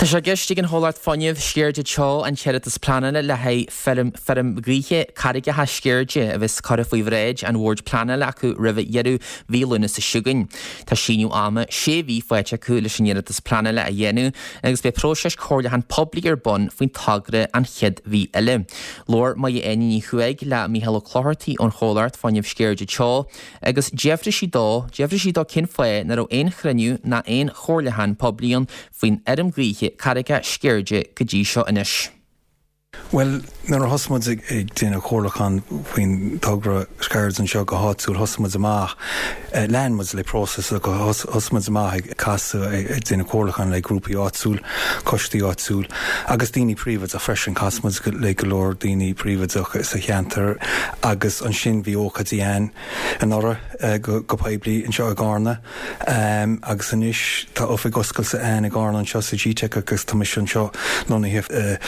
Tá sé i gceist ag an chomhlacht fuinnimh Sceirde Teo an t-iarratas pleanála le haghaidh feirm feirm gaoithe carraigeacha Sceirde a bheas curtha faoi bhráid an Bhoird Pleanála acu roimh dheireadh mhí Lúnasa seo chugainn. Tá síneadh ama sé mhí faighte acu leis an iarratas pleanála a dhéanamh agus beidh próiseas comhairliúcháin poiblí ar bun faoin togra an chéad mhí eile. Labhair Máire Áine Ní Chuaig le Mícheál Ó Clochartaigh ón chomhlacht fuinnimh Sceirde Teo Agus d'fhiafraigh sí dó, d'fhiafraigh sí dó cén fáth nach raibh aon chruinniú ná aon chomhairliúchán poiblí ann faoin fheirm ghaoithe Carraigeacha Sceirde go dtí seo anois. Bhuel, nuair a thosaigh muid ag déanamh comhairliúchán faoin togra Sceirde anseo go háitiúil, thosaigh muid amach, lean muid le próiseas, thosaigh muid amach ag casadh, ag déanamh comhairliúchán le grúpaí áitiúil, coistí áitiúil agus daoine príobháideach freisin. Chas muid le go leor daoine príobháideach sa cheantar agus ansin bhí ócáidí ann anuraidh go poiblí anseo i gCarna agus anois tá oifig oscailte ann i gCarna anseo sa GTeic agus tá mise anseo lonnaithe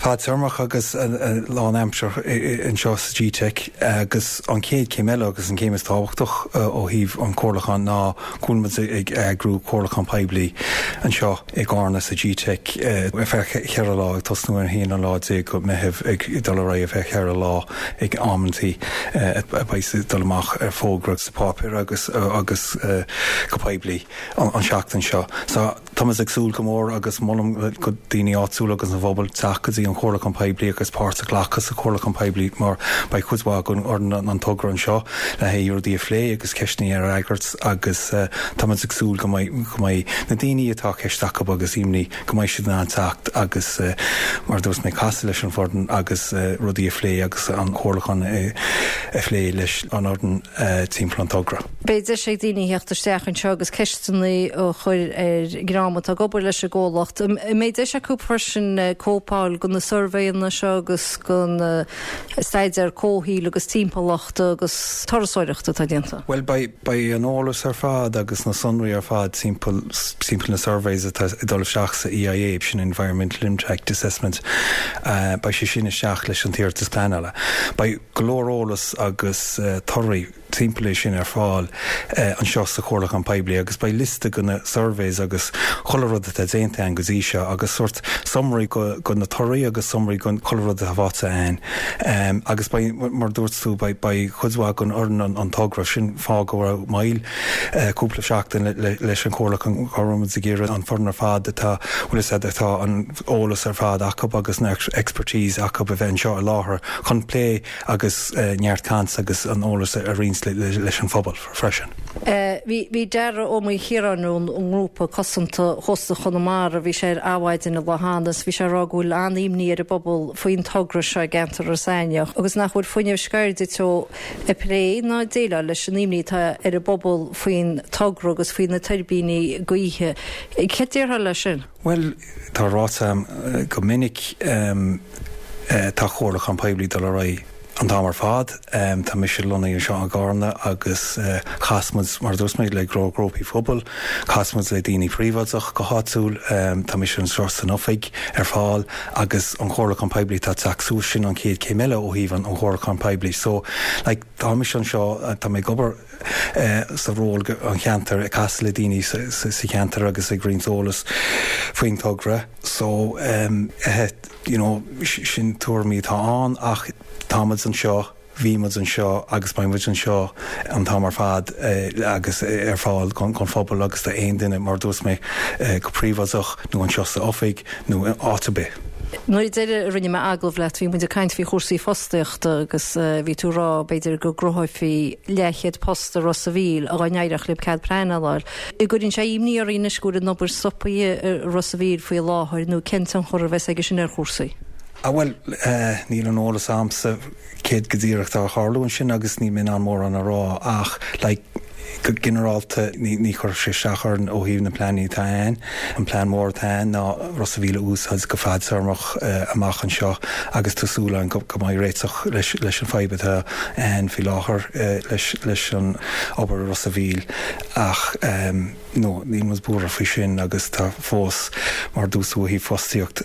fadtéarmach agus lánaimseartha anseo sa GTeic agus an chéad chéim eile agus an chéim is tábhachtach ó thaobh an chomhairliúcháin ná go bhfuil muid ag eagrú comhairliúchán poiblí anseo i gCarna sa GTeic ar feadh cheithre lá, ag tosnú ar an haon lá déag go Meitheamh ag dul ar aghaidh ar feadh cheithre lá ag amantaí a bheidh ag dul amach ar fógra sa pháipéar agus agus go poiblí an seachtain seo. So táimid ag súil go mór agus molaim go daoine áitiúla agus an phobal teacht go dtí an chomhairliúchán poiblí agus páirt a ghlacadh sa chomhairliúchán poiblí mar beidh cuid mhaith againn fhoireann an togra anseo le haghaidh rudaí a phlé agus ceisteanna a fhreagairt agus táimid ag súil go mbeidh go mbeidh na daoine atá ceist acu agus imní go mbeidh siad in ann teacht agus mar a dúirt mé casadh leis an bhfoireann agus rudaí a phlé agus an comhairliúchán a phlé leis an fhoireann timpeall an togra. Beidh deis ag daoine theacht isteach anseo agus ceisteanna a chur ar an dream atá ag obair leis an gcomhlacht. An mbeidh deis acu freisin cóip a fháil de na suirbhéanna seo agus den staidéar comhshaoil agus timpeallachta agus turasóireachta atá déanta? Bhuel, beidh, beidh an eolas ar fad agus na sonraí ar fad timpeall, timpeall na surveys atá ag dul isteach sa EIA, sin Environmental Impact Assessment, beidh sé sin isteach leis an t-iarratas pleanála. Beidh go leor eolas agus torthaí timpeall é sin ar fáil anseo sa chomhairliúchán poiblí agus beidh liosta de na surveys agus chuile rud atá déanta ann go dtí seo agus sórt summary de na torthaí agus summary de chuile rud atá faighte ann agus beidh, mar a dúirt tú, beidh cuid mhaith den fhoireann an togra, sin fáth go raibh moill cúpla seachtain leis an chomhairliúchán, go raibh muid ag iarraidh an foireann ar fad atá, bhfuil fhios a'd, atá an eolas ar fad acu agus an expertise acu a bheith anseo i láthair chun plé agus neart caint agus an eolas a roinnt leis an phobal freisin. Bhí Dara Ó Maoilchiaráin ón ngrúpa cosanta Chósta Chonamara, bhí sé ar Adhmhaidin an lá cheana is bhí sé ag rá go bhfuil an-imní ar an bpobal faoin togra seo i gceantar Ros Eithneach agus nach bhfuil Fuinneamh Sceirde Teo ag plé ná ag déileáil leis an imní atá ar an bpobal faoin togra agus faoi na tuirbíní gaoithe. Céard déarfá leis sin? Bhuel, tá ráite a'm go minic, tá comhairliúchán poiblí dul ar aghaidh an t-am ar fad. Tá mise lonnaithe anseo i gCarna agus chas muid, mar a dúirt mé, le go leor grúpaí phobail, chas muid le daoine príobháideach go háitiúil, tá mise anseo san oifig ar fáil agus an comhairliúchán poiblí atá ag teacht suas, sin an chéad chéim eile ó thaobh an chomhairliúcháin poiblí. So, like, tá mise anseo, tá mé ag obair, sa ról an cheantair, ag casadh le daoine sa cheantar agus ag roinnt eolas faoin togra. So, you know, sin tuairimí atá ann ach tá muid anseo, bhí muid anseo agus beidh muid anseo an t-am ar fad agus ar fáil don phobal agus d'aon duine, mar a dúirt mé, go príobháideach nó anseo sa oifig nó áit ar bith. Nuair deireadh a rinne mé agallamh leat bhí muid ag caint faoi chúrsaí fostaíochta agus bhí tú ag rá b'fhéidir go gcruthófaí leathchéad post i Ros a' Mhíl dá n-éireodh libh cead pleanála a fháil. An gcuireann sé imní oraibh anois go bhfuil an obair stoptha i Ros a' Mhíl faoi láthair nó cén tionchar a bheas aige sin ar chúrsaí? Ah bhuel, níl an eolas a'msa céard go díreach atá ag tarlú ansin agus níl mé in ann mórán a rá ach like go ginearálta ní chuirfeadh sé isteach orainn ó thaobh na pleananna atá ann. An plean mór atá ann ná Ros a' Mhíl a úsáid go fadtéarmach amach anseo agus tá súil againn go mbeidh réiteach leis an fadhb atá ann faoi láthair leis an obair i Ros a' Mhíl ach no níl muid buartha faoi sin agus tá fós mar a dúirt tú ó thaobh fostaíocht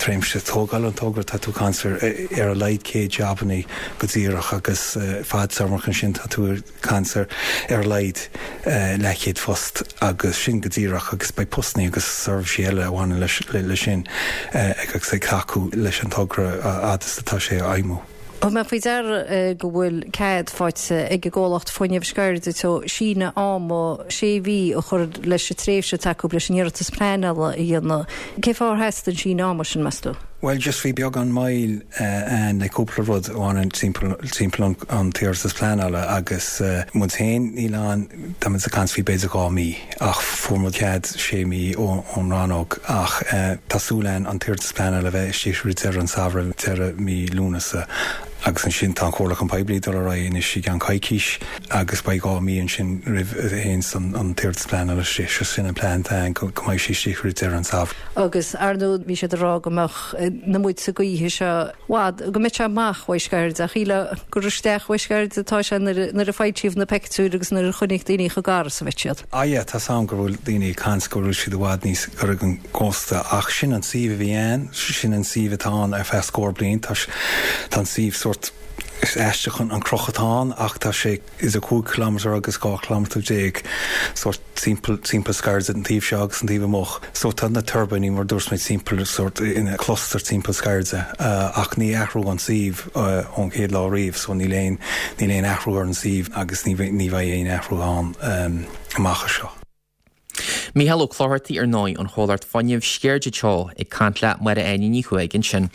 tréimhse tógáil an togra tá tú ag caint ar ar a laghad 100 jabannaí go díreach agus fadtéarmach ansin tá tú ag caint ar. ar a laghad leathchéad phost agus sin go díreach agus beidh postannaí agus seirbhísí eile a bhaineann leis sin agus ag tacú leis an togra a fhad is atá sé á fheidhmiú. Thug mé faoi deara go bhfuil cead faighte ag an gcomhlacht fuinnimh Sceirde Teo síneadh ama sé mhí a chur leis an tréimhse atá acu leis an iarratas pleanála a dhéanamh. Cén fáth ar theastaigh an síneadh ama sin, meas tú? Bhuel, just bhí beagán moill ann le cúpla rud a bhaineann timpeall timpeall an t-iarratas pleanála agus muid féin, níl ann, tá muid ag caint faoi b'fhéidir 2 mí ach fuair muid cead sé mí ón rannóg ach tá súil ann an t-iarratas pleanála a bheith istigh roimh deireadh an samhradh, deireadh mí Lúnasa agus ansin tá an comhairliúchán poiblí ag dul ar aghaidh anois i gceann coicís agus beidh 2 mí ansin roimh a théanns an t-iarratas pleanála istigh. Sin an plean atá ann go mbeidh sé istigh roimh deireadh an samhradh. Agus, ar ndóigh, bhí siad ag rá go mbeadh na muilte gaoithe seo i bhfad, go mbeadh sé amach uaidh Sceirde, ach shílfeá gur isteach uaidh Sceirde atá sé nuair a foilsíodh na peictiúir agus nuair a chonaic daoine chomh gar is a bheadh siad. Ah yeah, tá's a'm go bhfuil daoine ag caint go bhfuil siad i bhfad níos gaire don gcósta ach sin an suíomh a bhí ann, sin an suíomh atá ann ar feadh scór bliain, tá tá an suíomh sórt, is aisteach an cruth atá ann ach tá sé idir 5 kilometre agus 12 kilometre sórt timpeall timpeall Sceirde an taobh seo agus an taobh amuigh. So tá na tuirbíní mar dúirt mé timpeall sórt ina cluster timpeall Sceirde ach ní athraíodh an suíomh ón chéad lá riamh so níl aon níl aon athrú ar an suíomh agus ní ní bheidh aon athrú ann amach anseo. Mícheál Ó Clochartaigh ar ndóigh, ón chomhlacht fuinnimh Sceirde Teo ag caint le Máire Áine Ní Chuaig ansin.